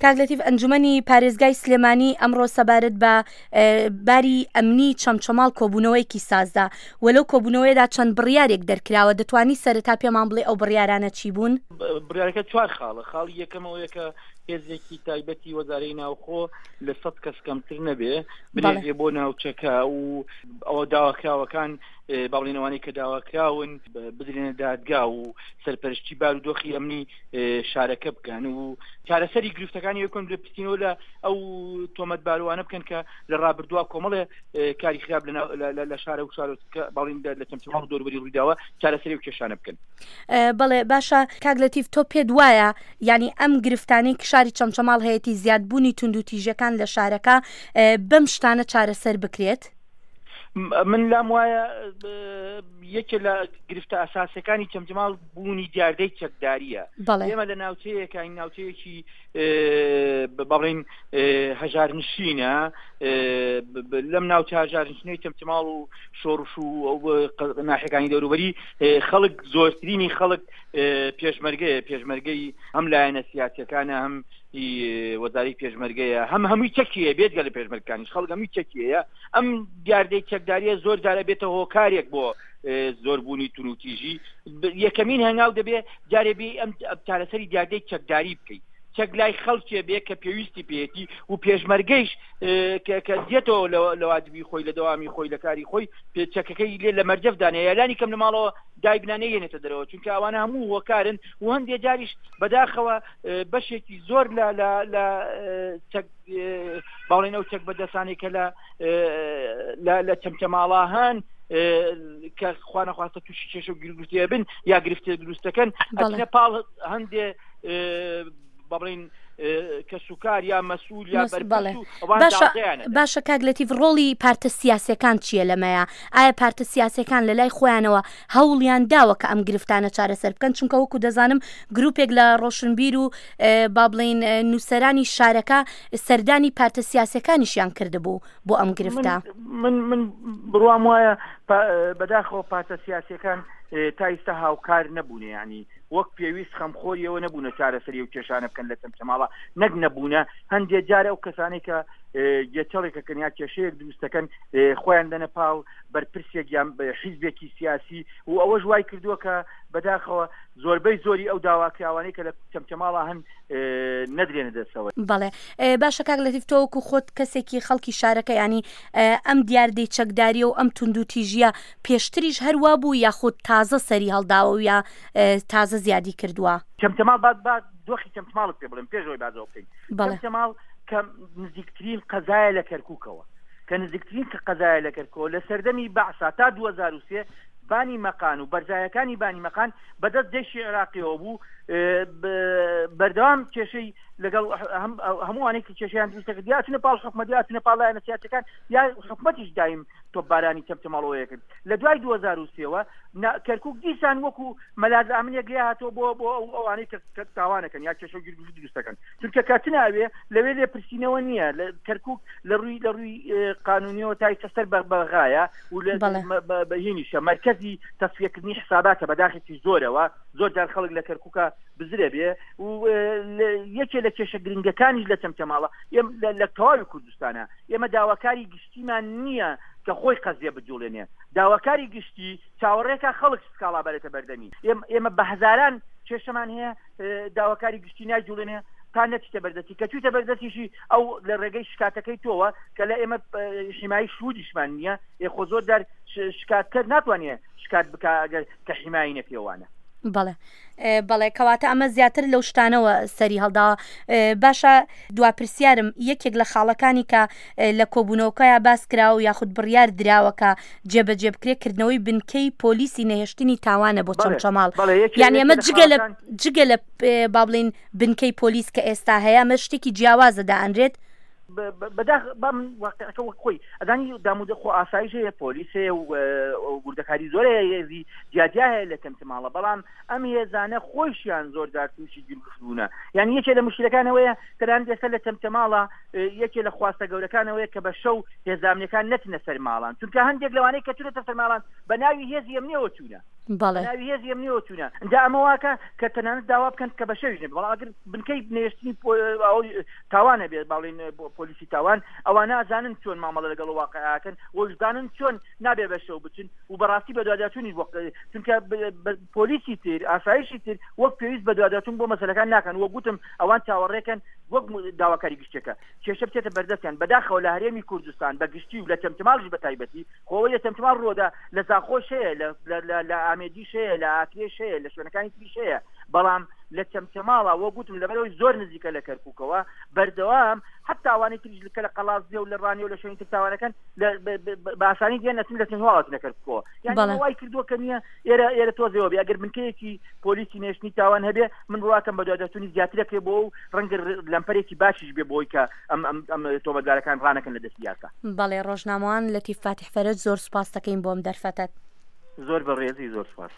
کاک لەتیف ئەنجومەنی پارێزگای سلێمانی ئەمڕۆ سەبارەت بە باری ئەمنی چەمچەماڵ کۆبوونەوەیەکی سازدا و لەو کۆبوونەوەیەدا چەند بڕیارێک دەرکراوە دەتوانی سەرەتا پێمان بڵێ ئەو بڕیارانە چی بوون؟ بڕیارەکە چوار خاڵە خاڵی یەکەم ئەوەیە کە هێزێکی تایبەتی وەزارەی ناوخۆ لە سە کەس کەمتر نەبێ بنێژێ بۆ ناوچەکە و ئەوە داواکراوەکان باڵین ئەوانەی کە داواکراون بدرێنە دادگا و سەرپەرشتی بارودۆخی ئەمنی شارەکە بکەن و چارەسەری گرفتەکانی یەکۆن لە پرسینەوە لە ئەو تۆمەتباروانە بکەن کە لە ڕابردووە کۆمەڵێ کاری خراپ لە شارە و شارۆچکە باڵین لە چەمچەماڵ و دەوروبەری ڕوویداوە چارەسەری و کێشانە بکەن. بەڵێ باشە کاک لەتیف تۆ پێت وایە یعنی ئەم گرفتانەی کە شاری چەمچەماڵ هەیەی زیادبوونی توندوتیژەکان لە شارەکە بەم شتانە چارەسەر بکرێت؟ من لام وایە یەکێ لە گرفتە ئەساسەکانی چەمچەماڵ بوونی دیاردەی چەکداریە ئێمە لە ناوچەیەکین ناوچەیەکی بەڵین هەژارنشینە لەم ناوچە هەژارنشینەی چەمچەماڵ و شۆڕش و ناحەکانی دەوروبەری خەڵک زۆرترینی خەڵک پێشمەرگەیە پێشمەرگەی هەم لایەنە سیاسەکانە هەم وەزاری پێشمەرگەیە هەم هەمووی چەکیە بێت گەلە پێشمەرگەکانیش خەڵک هەمووی چەکیەیە ئەم دیاردەی چەکداریە زۆر جارە بێتە هۆکارێک بۆ زۆربوونی تونوتیژی یەکەمین هەنگاو دەبێ جارێ بێ ئەم چارەسەری دیاردەی چەکداری بکەیت چەک لای خەڵکێ بێ کە پێویستی پێیەتی و پێشمەرگەیش کە دێتەوە لە واجبی خۆی لە دەوامی خۆی لە کاری خۆی چەکەکەی لێ لە مەرجەف دانێ یالانی کەم لە ماڵەوە دایبنا نەیەنێتە دەرەوە چونکە ئەوانە هەموو هۆکارن و هەندێ جاریش بەداخەوە بەشێکی زۆر لە لە چەک باڵێن ئەو چەک بەدەسانێک کە لە لە چەمچەماڵا هەن کە خوانەخواستە تووشی کێشە و گیرگرتێ بن یا گرفتێ دروستەکەن ئەچنە پاڵ هەندێ با بڵین کەسوکار یا مەسئول یا بەڵێ باشە کاک لەتیف ڕۆڵی پارتە سیاسەکان چییە لەمەیە ئایا پارتە سیاسەکان لە لای خۆیانەوە هەوڵیان داوە کە ئەم گرفتانە چارەسەر بکەن چونکە وەکو دەزانم گروپێک لە ڕۆشنبیر و با بڵین نووسەرانی شارەکە سەردانی پارتە سیاسەکانیشیان کردبوو بۆ ئەم گرفتە من من بڕوام وایە بەداخەوە پارتە سیاسەکان تا ئیستا هاوکار نەبوونە ینی وەک پێویست خەمخۆری ئەوە نەبوونە چارەسەری ئەو کێشانە بکەن لە چەمچەماڵە نەک نەبوونە هەندێ جار ئەو کەسانەی کە گێچەڵێکەکەن یا کێشەیەک دروست دەکەن خۆیان دەنە پاڵ بەرپرسێک یان حیزبێکی سیاسی و ئەوەش وای کردووە کە بەداخەوە زۆربەی زۆری ئەو داواکراوانەی کە لە چەمچەماڵە هەن نەدرێنە دەستەوە. بەڵێ باشە کاک لەتیف تۆ وەکو خۆت کەسێکی خەڵکی شارەکە ینی ئەم دیاردەی چەکداریە و ئەم توندوتیژیە پێشتریش هەر وا بوو یاخود تازە سەری هەڵداوە و یا تازە زیادی کردووە؟ چەمچەماڵ با با دۆخی چەمچماڵت پێ بڵێم پێش ئەوەی باس ئەوە بکەین. بەڵێ. چەمچەماڵ کە نزیکترین قەزایە لە کەرکووکەوە کە نزیکترین کە قەزایە لە کەرکووکەوە لە سەردەمی بەعسا تا 2003 بانی مەقان و بەرزایەکانی بانی مەقان بەدەست جەیشی عێراقیەوە بوو بەردەوام کێشەی لەگەڵ هەمووانێک کە کێشیان دروست دەکرد یا چونە پاڵ حکومەت یا چونە پاڵ لایەنە سیاسەکان یا حکومەتیش دایم تۆپبارانی چەمچەماڵەوەیە کرد لە دوای 2003 وە کەرکک دیسان وەکو مەلاز ئامنێک لێ هاتووە بۆ بۆ ئەو ئەوانەی کە تاوانەکەن یا کێشە و گیرگرفت دروست دەکەن چونکە کاتناوێ لەوێ لێ پرسینەوە نییە لە کەرکک لە ڕووی لە ڕووی قانونیەوە تای سەر بە بەغایە و لە بەهینیشە مرکزی تەسویەکردنی حساباتە بەداخێکی زۆرەوە زۆر جار خەڵک لە کەرکووکە بزرێ بێ و یەکێ لە کێشە گرنگەکانیش لە چەمچەماڵە لە تەواوی کوردستانە ئێمە داواکاری گشتیمان نییە کە خۆی قەزیە بجوڵێنێ داواکاری گشتی چاوەڕێکە خەڵک سکاڵا بەرێتە بەردەمی ئێمە بە هەزاران کێشەمان هەیە داواکاری گشتی نایجوڵێنێ تا نەچیتە بەردەستی کە چویتە بەردەستیشی ئەو لە ڕێگەی شکاتەکەی تۆوە کە لە ئێمە حیمایی شهودیشمان نییە ئێ خۆ زۆر جار شکاتکەر ناتوانێ شکات بکا ئەگەر کە حیمایی نەکرێوانە. بەڵێ بەڵێ کەواتە ئەمە زیاتر لەو شتانەوە سەری هەڵداوە باشە دوا پرسیارم یەکێک لە خاڵەکانی کە لە کۆبوونەوەکەیا باس کراوە و یاخود بڕیار دراوە کە جێبەجێ بکرێت کردنەوەی بنکەی پۆلیسی نەهێشتنی تاوانە بۆ چەمچەماڵ یان ئێمە جگە لە جگە لە با بڵین بنکەی پۆلیس کە ئێستا هەیە ئەمە شتێکی جیاوازە دائەنرێت بەداخ با من واقعەکە وەک خۆی ئەزانی دامودە خۆ ئاسایش هەیە پۆلیس هەیە و وردەکاری زۆر هەیە هێزی جیاجیا هەیە لە چەمچەماڵە بەڵام ئەم هێزانە خۆیشیان زۆر جار تووشی گیرگرفت بوونە یعنی یەکێ لە مشکلەکانەوەیە تەنانەت ئێستا لە چەمچەماڵە یەکێ لە خواستە گەورەکانەوەیە کە بە شەو هێزامنیەکان نەچنە سەر ماڵان چونکە هەندێک لەوانەی کە چونەتە سەر ماڵان بە ناوی هێزی ئەمنیەوە چوونە. بەڵێ. ناوی هێزی ئەمنیەوە چوونە ئینجا ئەمە واکە کە تەنانەت داوا بکەن کە بە شەویش نەبێت بەڵام ئەگەر بنکەی نێشتنی تاوان هەبێت باڵین پۆلیسی تاوان ئەوانە ئەزانن چۆن مامەڵە لەگەڵ واقعەکەن وەشزانن چۆن نابێ بە شەو بچن و بەڕاستی بەدواداچوونیش بۆ چونکە پۆلیسی تر ئاسایشی تر وەک پێویست بەدواداچوون بۆ مەسەلەکان ناکەن وەک گوتم ئەوان چاوەڕێکەن وەک داواکاری گشتەکە کێشە بچێتە بەردەستیان بەداخەوە لە هەرێمی کوردستان بە گشتی و لە چەمچەماڵیش بە تایبەتی خۆ ئەوەی لە چەمچەماڵ ڕووەدا لە زاخۆش هەیە لە ئامێدیش هەیە لە ئاکرێش هەیە لە شوێنەکانی تریش هەیە بەڵام لە چەمچەماڵە وەک گوتم لەبەرەوەی زۆر نزیکە لە کەرکووکەوە بەردەوام حتا ئەوانەی تریش کە لە قەڵادزێ و لە ڕانیە و لە شوێنی تر تاوانەکەن بە ئاسانی دێن ئەچن لە چەمچەماڵ ئەچنە کەرکووکەوە یانی بەڵێ. وای کردووە کە نییە ئێرە ئێرە تۆزێەوە بێ ئەگەر بنکەیەکی پۆلیسی نێشتنی تاوان هەبێ من بڕواکەم بەدواداچوونی زیاترەکرێ بۆ و ڕەنگە لەمپەرێکی باشیش بێ بۆی کە ئەم ئەم ئەم تۆمەتبارەکان ڕانەکەن لە دەستی یاسا. بەڵێ ڕۆژنامەوان لەتیف فاتیح فەرەج زۆر سوپاستەکەین بۆ ئەم دەرفەتەت. زۆر بەڕێزی زۆر سوپاس.